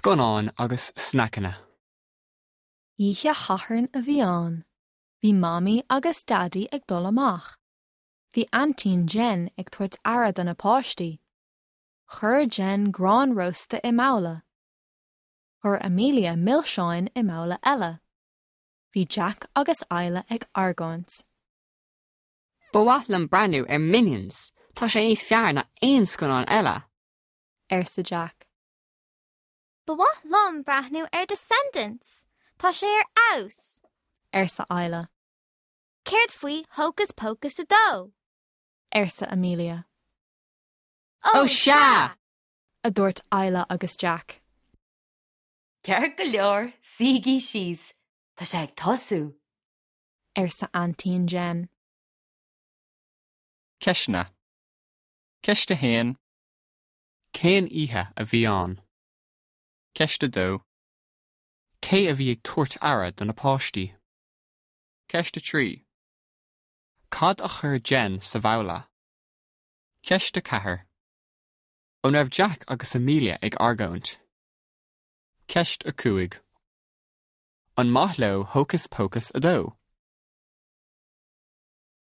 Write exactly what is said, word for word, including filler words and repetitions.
Scannáin agus sneaiceanna. Oíche Shathairn a bhí ann. Bhí Mamaí agus Daidí ag dul amach. Bhí Aintín Jen ag tabhairt aire do na páistí. Chuir Jen grán rósta i mbabhla. Chuir Amelia milseáin i mbabhla eile. Bhí Jack agus Isla ag argóint. Ba mhaith liom breathnú ar Minions, Tá sé níos fearr ná aon scannán eile. arsa Jack. Ba mhaith liom breathnú ar Descendants, Tá sé ar fheabhas. arsa Isla. Céard faoi Hocus Pocus a dó. arsa Amelia. Ó sea! a dúirt Isla agus Jack. Ceart go leor suígí síos, Tá sé ag tosú. arsa Aintín Jen. Ceisteanna. Ceist a haon. Cén oíche a bhí ann? Ceist a dó. Cé a bhí ag tabhairt aire do na páistí? Ceist a trí. Cad a chuir Jen sa bhabhla? Ceist a ceathair. An raibh Jack agus Amelia ag argóint. Ceist a cúig. An maith leo Hocus Pocus a dó.